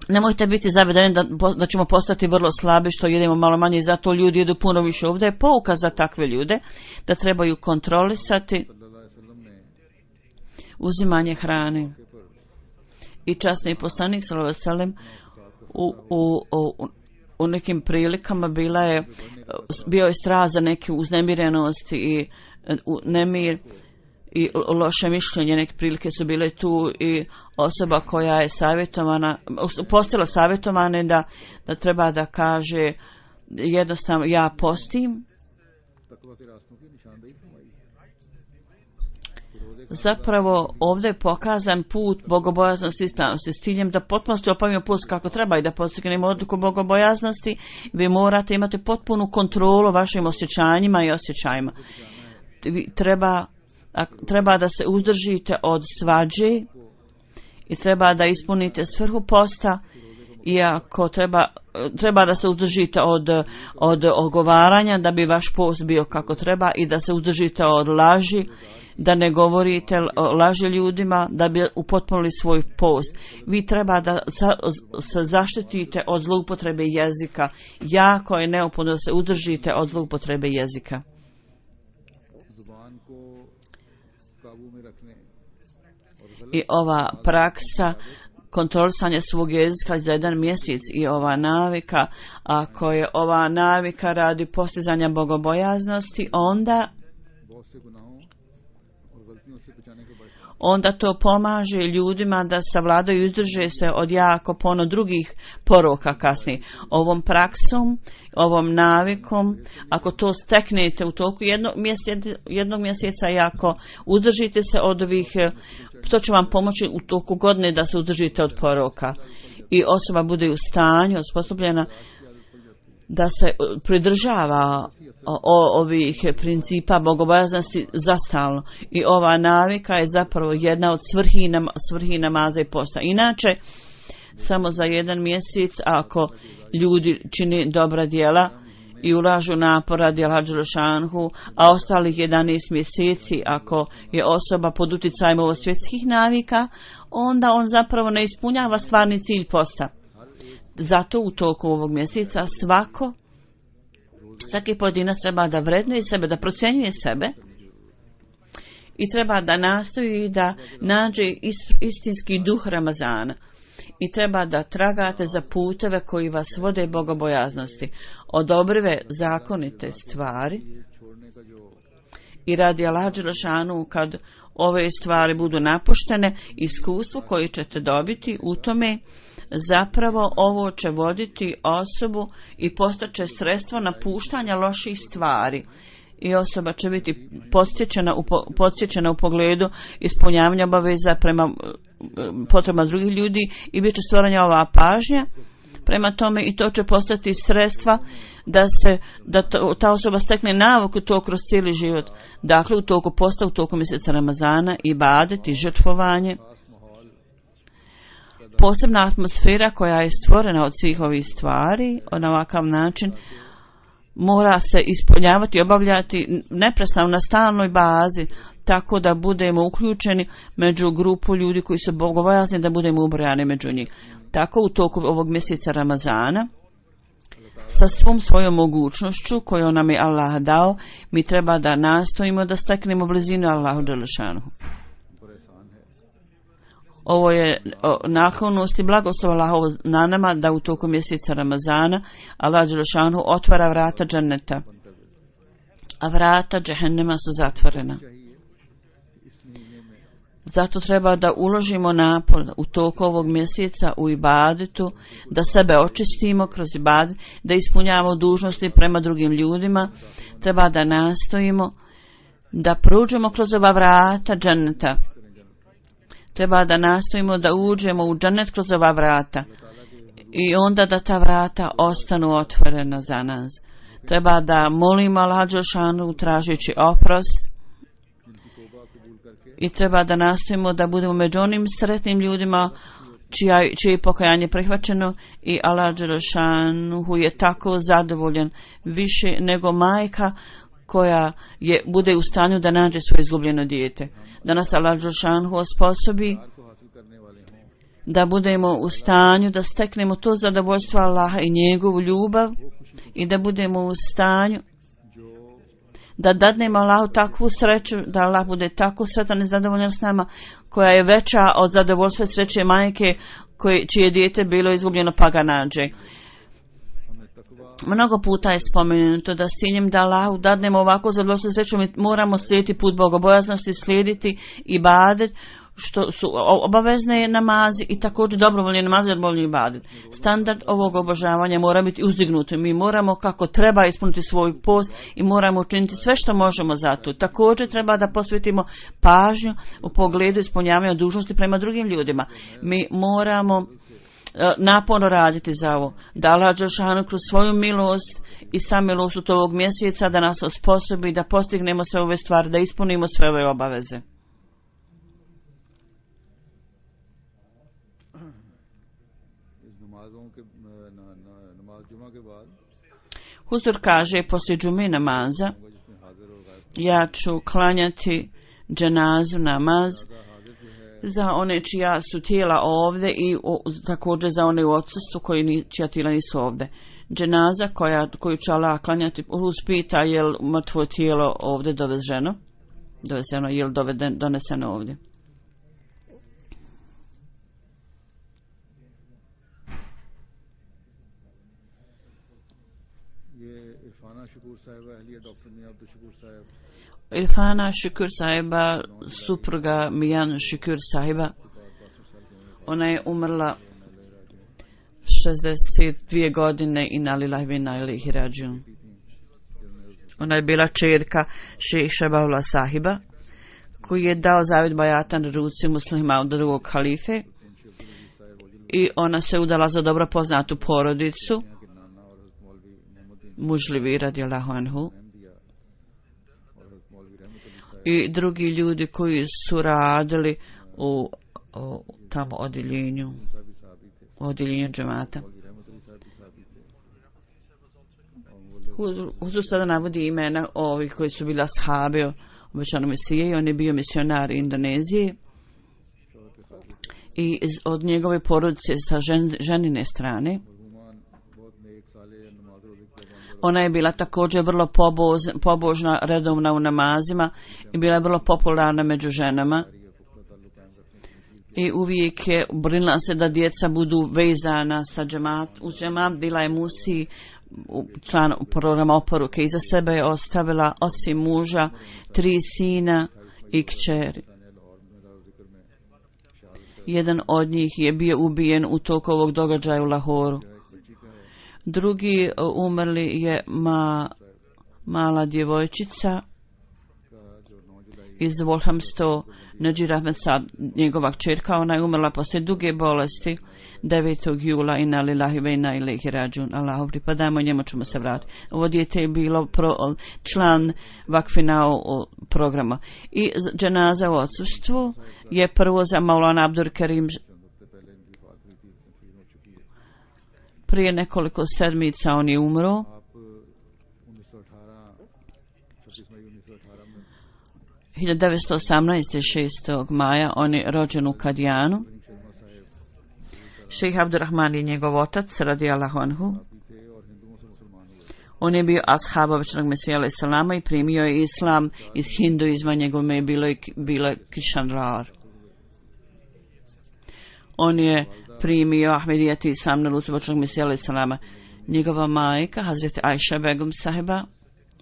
nemojte biti zavedeni da ćemo postati vrlo slabi što jedemo malo manje i zato ljudi jedu puno više. Ovdje je pouka za takve ljude da trebaju kontrolisati uzimanje hrane. I časni poslanik sallallahu alejhi ve sellem u nekim prilikama bio je strah za neke uznemirenosti i nemir i loše mišljenje. Neke prilike su bile tu i osoba koja je postala savjetovana da treba da kaže jednostavno ja postim. Zapravo ovdje je pokazan put bogobojaznosti i ispravnosti s ciljem da potpuno opavimo post kako treba i da postignemo odluku bogobojaznosti. Vi morate imati potpunu kontrolu vašim osjećanjima i osjećajima. Treba da se uzdržite od svađe i treba da ispunite svrhu posta, iako treba da se uzdržite od ogovaranja da bi vaš post bio kako treba i da se uzdržite od laži, da ne govorite laži ljudima, da bi upotpunili svoj post. Vi treba da se zaštitite od zloupotrebe jezika. Jako je neophodno da se udržite od zloupotrebe jezika. I ova praksa kontrolisanja svog jezika za jedan mjesec i ova navika, ako je ova navika radi postizanja bogobojaznosti, onda onda to pomaže ljudima da savladaju i izdrže se od jako puno drugih poroka kasnije. Ovom praksom, ovom navikom, ako to steknete u toku jednog mjeseca i ako udržite se od ovih, to će vam pomoći u toku godine da se udržite od poroka. I osoba bude u stanju, osposobljena da se pridržava ovih principa bogobojaznosti zastalno. I ova navika je zapravo jedna od svrhi namaza i posta. Inače, samo za jedan mjesec, ako ljudi čini dobra djela i ulažu napora djela Đelešanhu, a ostalih 11 mjeseci, ako je osoba pod utjecajem ovo svjetskih navika, onda on zapravo ne ispunjava stvarni cilj posta. Zato u toku ovog mjeseca svaki pojedinac treba da vrednuje sebe, da procjenjuje sebe i treba da nastoji da nađe istinski duh Ramazana i treba da tragate za puteve koji vas vode bogobojaznosti, odobrive zakonite stvari i radi Allah dželešanu kad ove stvari budu napuštene, iskustvo koje ćete dobiti u tome zapravo ovo će voditi osobu i postaće sredstvo napuštanja loših stvari i osoba će biti podsjećena u pogledu ispunjavanja obaveza prema potrebama drugih ljudi i bit će stvorena ova pažnja prema tome i to će postati sredstva da ta osoba stekne naviku to kroz cijeli život. Dakle, u toku posta, u toku mjeseca Ramazana, ibadet i žrtvovanje, posebna atmosfera koja je stvorena od svih ovih stvari, na ovakav način mora se ispunjavati i obavljati neprestano na stalnoj bazi, tako da budemo uključeni među grupu ljudi koji su bogobojazni, da budemo ubrojani među njih. Tako u toku ovog mjeseca Ramazana, sa svom svojom mogućnošću koju nam je Allah dao, mi treba da nastojimo da steknemo blizinu Allahu dželešanu. Ovo je naklonost i blagoslov Allahovo na nama da u toku mjeseca Ramazana Allah dželešanu otvara vrata dženneta, a vrata džehennema su zatvorena. Zato treba da uložimo napor u toku ovog mjeseca u ibadetu, da sebe očistimo kroz ibadet, da ispunjavamo dužnosti prema drugim ljudima. Treba da nastojimo da prođemo kroz ova vrata dženneta. Treba da nastojimo da uđemo u džennet kroz ova vrata i onda da ta vrata ostanu otvorena za nas. Treba da molimo Allah dželešanu tražeći oprost i treba da nastojimo da budemo među onim sretnim ljudima čije je pokajanje prihvaćeno i Allah dželešanu je tako zadovoljan više nego majka koja bude u stanju da nađe svoje izgubljeno dijete. Da nas Allah dželešanu osposobi da budemo u stanju da steknemo to zadovoljstvo Allaha i njegovu ljubav i da budemo u stanju da dadnemo Allahu takvu sreću, da Allah bude tako sretan i zadovoljan s nama, koja je veća od zadovoljstva i sreće majke čije dijete bilo izgubljeno pa ga nađe. Mnogo puta je spomenuto da s ciljem da Allahu dadnemo ovako zadovoljstvo i sreću mi moramo slijediti put bogobojaznosti, slijediti ibadet, što su obavezne namazi i također dobrovoljni namazi i dobrovoljni ibadet. Standard ovog obožavanja mora biti uzdignut. Mi moramo kako treba ispuniti svoj post i moramo učiniti sve što možemo za to. Također treba da posvetimo pažnju u pogledu ispunjavanja dužnosti prema drugim ljudima. Mi moramo naporno raditi za ovo. Da Allah dželešanu kroz svoju milost i samilost od ovog mjeseca da nas osposobi da postignemo sve ove stvari, da ispunimo sve ove obaveze. Huzur kaže, poslije džume namaza ja ću klanjati dženazu namaz za one čija su tijela ovdje i također za one u odsustvu čija tijela nisu ovdje. Dženaza koju će Allah klanjati, uspita je li mrtvo tijelo ovdje dovezeno, je li doneseno ovdje. Irfana Šukur sahiba, supruga Mijan Šukur sahiba. Ona je umrla 62 godine i nalilahi ve inna ilaihi rađiun. Ona je bila čerka šejha Baula sahiba, koji je dao zavjet bajata na ruci muslima od drugog halife, i ona se udala za dobro poznatu porodicu Mužlivi radijallahu anhu, i drugi ljudi koji su radili u tamo odjeljenju džemata. Huzur sada navodi imena ovih koji su bili ashabi obećanog Mesije, i on je bio misionar Indonezije, i od njegove porodice sa ženine strane. Ona je bila također vrlo pobožna, redovna u namazima i bila je vrlo popularna među ženama. I uvijek je brinula se da djeca budu vezana sa uz džemat. Bila je musi član programa oporuke. Iza sebe je ostavila osim muža 3 sina i kćeri. Jedan od njih je bio ubijen u toku ovog događaja u Lahoru. Drugi umrli je mala djevojčica iz Wolhamsto, Najir Ahmed Saad, njegova kćerka. Ona je umrla poslije duge bolesti 9. jula. Inna lillahi ve inna ilaihi rađiun. Allahu pripadamo, njemu ćemo se vratiti. Ovo dijete je bilo član vakfina programa. I dženaza u odsustvu je prvo za Maulana Abdur Karim. Prije nekoliko sedmica on je umro. 1918. 6. maja on je rođen u Kadijanu. Šejh Abdurrahman je njegov otac radijallahu anhu. On je bio ashab obećanog Mesija alejhi selama i primio je islam iz hinduizma. Njegovo ime je bilo Kishanrar. On je primio Ahmedijet i islam na ruci obećanog Mesija alejhi selama. Njegova majka Hazreti Ajša Begum sahiba,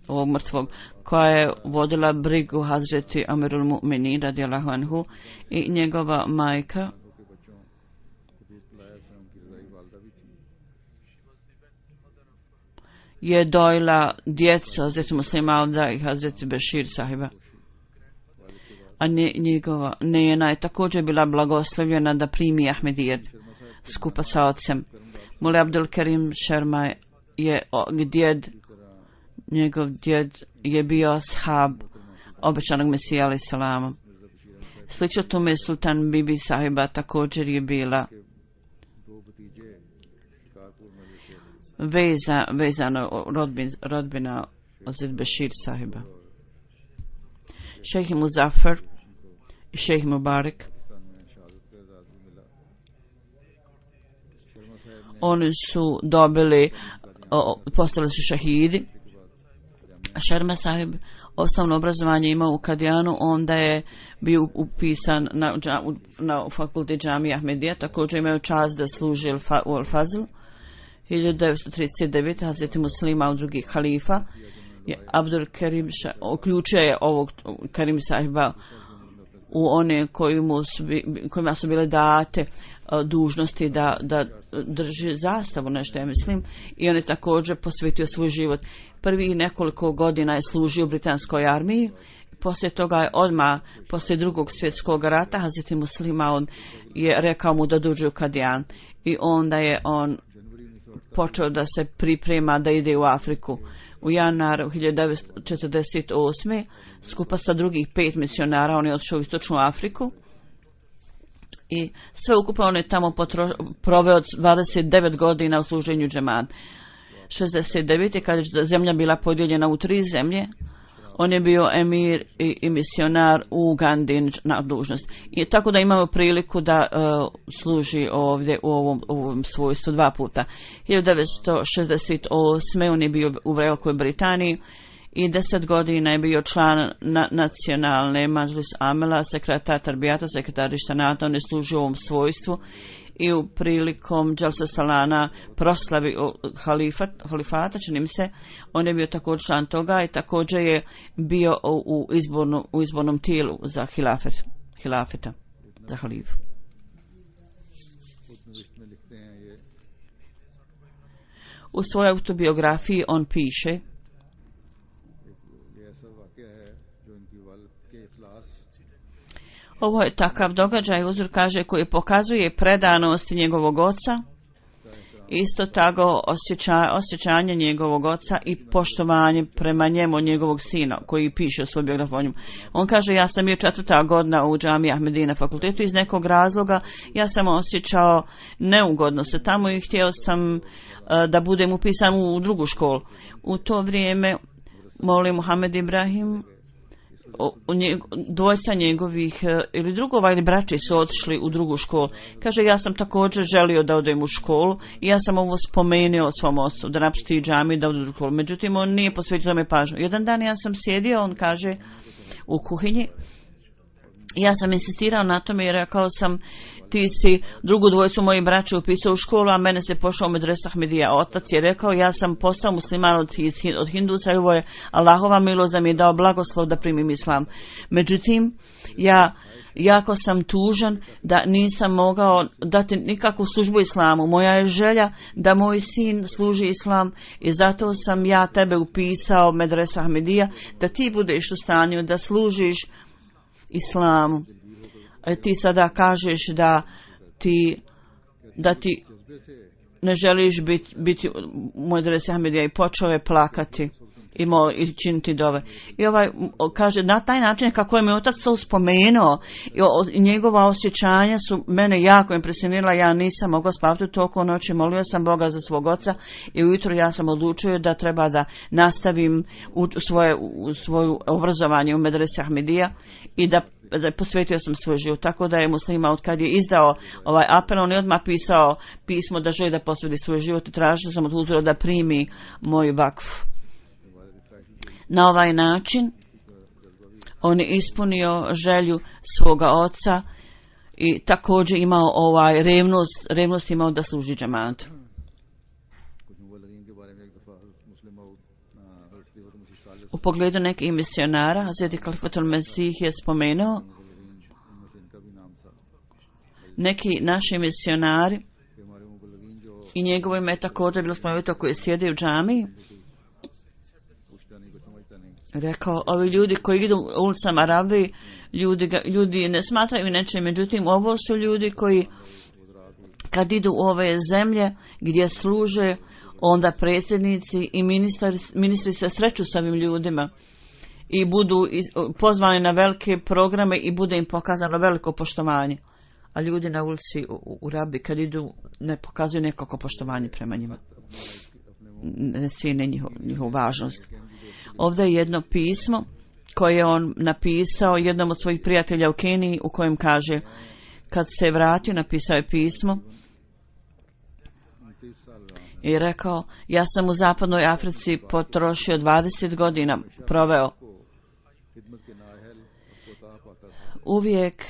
ovog mrtvog, koja je vodila brigu Hazreti Amirul Mu'minin radijallahu anhu, i njegova majka je dojila djecu Hazreti Muslima Auda i Hazreti Bešir sahiba. A njegova nejena je također bila blagoslovljena da primi Ahmedijet skupa sa ocem. Mule Abdul Karim Sharma je njegov djed je bio ashab obećanog Mesija alejhi selama. Slično tome Sultan Bibi sahiba također je bila vezano rodbina Hazret Bešir sahiba. Šejh Muzaffar i šejh Mubarak, oni su dobili, postali su šahidi. Sharma sahib osnovno obrazovanje imao u Kadijanu, onda je bio upisan na fakultet džamije Ahmedija, također imao čast da služi u Al-Fazl. 1939. Hazreti Muslima od drugih halifa je Abdur Karim uključio je ovog Karim sahiba u one kojima su bile date dužnosti da drži zastavu, nešto ja mislim, i on je također posvetio svoj život. Prvi nekoliko godina je služio u britanskoj armiji. Poslije toga je odmah, poslije Drugog svjetskog rata, Hazreti Muslima on je rekao mu da dođe u Kadijan, i onda je on počeo da se priprema da ide u Afriku. U januaru 1948. skupa sa drugih 5 misionara on je otišao u Istočnu Afriku i sve ukupno on je tamo proveo 29 godina u služenju džemat. 69. kad je zemlja bila podijeljena u 3 zemlje, on je bio emir i misionar u Ugandi na dužnost. I tako da imamo priliku da služi ovdje u ovom svojstvu 2 puta. 1968. on je bio u Velikoj Britaniji i 10 godina je bio član nacionalne Mažlis Amela, sekretar Tarbijata, sekretar Ištanata. On je služio u ovom svojstvu i u prilikom Džalsa Salana proslavi halifata, čini mi se, on je bio također član toga i također je bio u izbornom tijelu za hilafeta, za halifu. U svojoj autobiografiji on piše: ovo je takav događaj, Huzur kaže, koji pokazuje predanost njegovog oca, isto tako osjećanje njegovog oca i poštovanje prema njemu, njegovog sina, koji piše u svoj biografiju. On kaže: ja sam bio 4. godina u džamiji Ahmedina fakultetu, iz nekog razloga ja sam osjećao neugodno se tamo i htio sam da budem upisan u drugu školu. U to vrijeme Moli Muhammed Ibrahim, dvojca njegovih ili drugova ili braći su otišli u drugu školu. Kaže: ja sam također želio da odem u školu i ja sam ovo spomenuo svom ocu da napusti džamiju da ode u školu. Međutim, on nije posvetio tome pažnju. Jedan dan ja sam sjedio, on kaže, u kuhinji. Ja sam insistirao na tome i rekao sam: ti si drugu dvojicu mojih braća upisao u školu, a mene se pošao u medresu Ahmedija. Otac je rekao: ja sam postao musliman od Hindusa i ovo je Allahova milost da mi je dao blagoslov da primim islam. Međutim, ja jako sam tužan da nisam mogao dati nikakvu službu islamu. Moja je želja da moj sin služi islam i zato sam ja tebe upisao medresu Ahmedija, da ti budeš u stanju da služiš islamu. Ti sada kažeš da ti ne želiš biti u medresi Ahmedija, i počeo je plakati i činiti dove. I kaže, na taj način kako je mi otac to spomenuo, i njegova osjećanja su mene jako impresionirala. Ja nisam mogla spavati toliko noći, molio sam Boga za svog oca i ujutro ja sam odlučio da treba da nastavim svoje obrazovanje u medresi Ahmedija i da posvetio sam svoj život. Tako da je muslima, od kad je izdao ovaj apel, on je odmah pisao pismo da želi da posveti svoj život i tražio sam od Huzura da primi moj vakf. Na ovaj način on je ispunio želju svoga oca i također imao revnost imao da služi džematu. U pogledu nekih misionara, Hazreti Khalifatul Mesih je spomenuo, neki naši misionari, i njegovo ime je također bilo spomenuto, koji sjede u džamiji, rekao: ovi ljudi koji idu ulicama Arabi, ljudi ne smatraju nečem, međutim ovo su ljudi koji kad idu u ove zemlje gdje služe, onda predsjednici i ministri se sreću s ovim ljudima i budu pozvani na velike programe i bude im pokazano veliko poštovanje. A ljudi na ulici u Arabi kad idu ne pokazuju nekako poštovanje prema njima, ne cijene njihovu važnost. Ovdje je jedno pismo koje je on napisao jednom od svojih prijatelja u Keniji, u kojem kaže, kad se vratio, napisao je pismo i rekao: ja sam u zapadnoj Africi potrošio 20 godina, proveo. Uvijek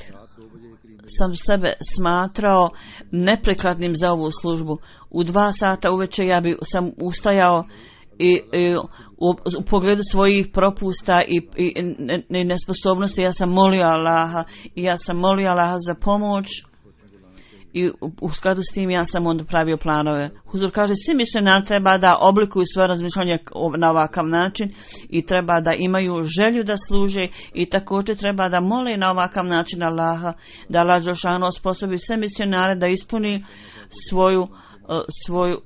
sam sebe smatrao neprikladnim za ovu službu. U 2 sata uveče sam ustajao i u pogledu svojih propusta i nesposobnosti ja sam molio Allaha za pomoć i u skladu s tim ja sam onda pravio planove. Huzur kaže: svi misionari treba da oblikuju svoje razmišljanje na ovakav način i treba da imaju želju da služe i također treba da mole na ovakav način Allaha, da Allah dželešanu osposobi sve misionare da ispuni svoju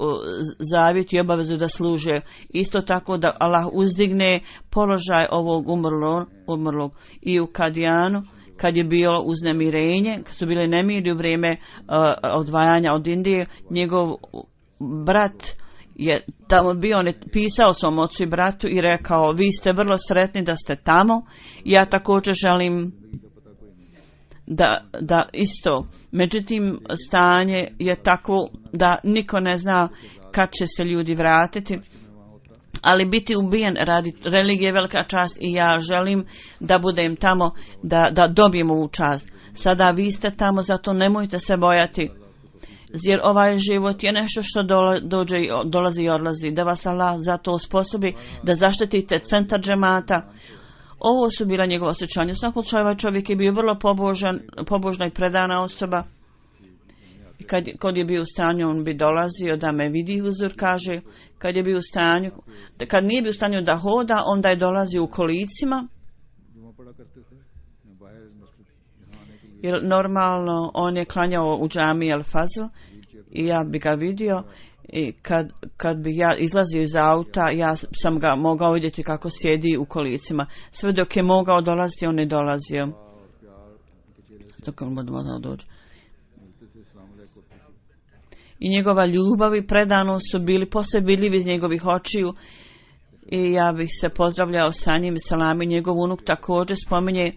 zavjet i obavezu da služe. Isto tako da Allah uzdigne položaj ovog umrlog. I u Kadijanu, kad je bilo uznemirenje, kad su bile nemiri u vrijeme odvajanja od Indije, njegov brat je tamo bio, on je pisao svom ocu i bratu i rekao: vi ste vrlo sretni da ste tamo, ja također želim da isto. Međutim, stanje je takvo da niko ne zna kad će se ljudi vratiti, ali biti ubijen radi religije je velika čast i ja želim da budem tamo, da dobijem ovu čast. Sada vi ste tamo, zato nemojte se bojati. Jer ovaj život je nešto što dolazi i odlazi. Da vas Allah zato osposobi da zaštitite centar džemata. Ovo su bila njegova osjećanja. U svakom slučaju ovaj čovjek je bio vrlo pobožna i predana osoba. Kad je bio u stanju, on bi dolazio da me vidi, Huzur kaže. Kad nije bio u stanju da hoda, onda je dolazio u kolicima. Jer normalno on je klanjao u džami Al Fazl i ja bi ga vidio i kad bi ja izlazio iz auta, ja sam ga mogao vidjeti kako sjedi u kolicima. Sve dok je mogao dolaziti, on je dolazio. I njegova ljubav i predanost su bili posve vidljivi iz njegovih očiju i ja bih se pozdravljao sa njim. Salami, njegov unuk također spominje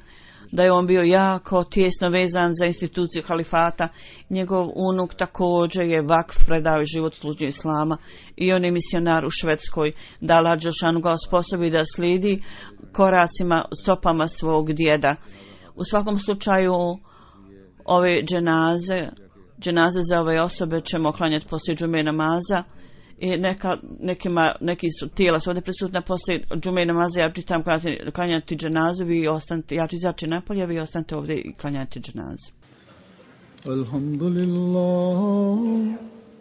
da je on bio jako tijesno vezan za instituciju halifata. Njegov unuk također je vakf, predao život služnju islama i on je misionar u Švedskoj. Da Allah dželešanu ga osposobi da slijedi koracima, stopama svog djeda. U svakom slučaju ove dženaze za ove osobe ćemo klanjati poslije džume namaza. I neki su tijela su ovdje prisutna poslije džume namaza. Ja ću tam klanjati dženazu, ja ću izaći napolje, vi ostanite ovdje i klanjati dženazu.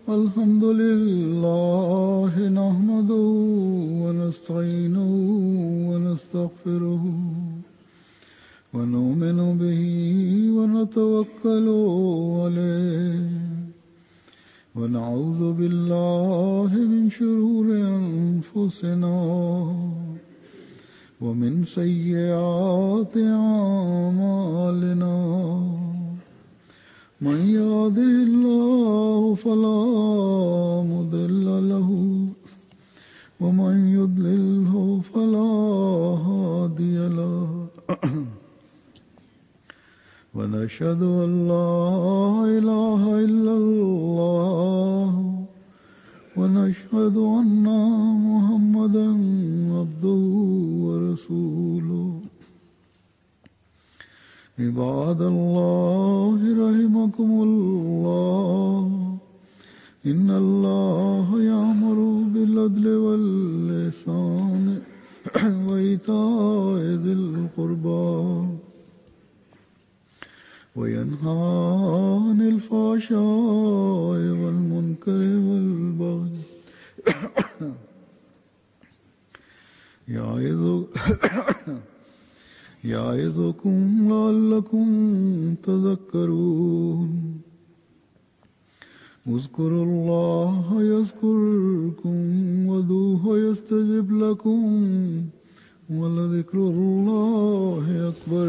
Alhamdulillah, nahmaduhu wa nasta'inuhu wa nastaghfiruhu wa nu'minu bihi wa natawakkalu alayhi. ونعوذ بالله من شرور أنفسنا ومن سيئات أعمالنا من يهده الله فلا مضل له ومن يضلله فلا هادي له ونشهد أن لا إله إلا الله ونشهد أن محمدا عبده ورسوله عباد الله رحمكم الله إن الله يأمر بالعدل والإحسان وإيتاء ذي القربى وينهى عن الفحشاء والمنكر والبغي يعظكم لعلكم تذكرون اذكروا الله يذكركم وادعوه يستجب لكم ولذكر الله أكبر.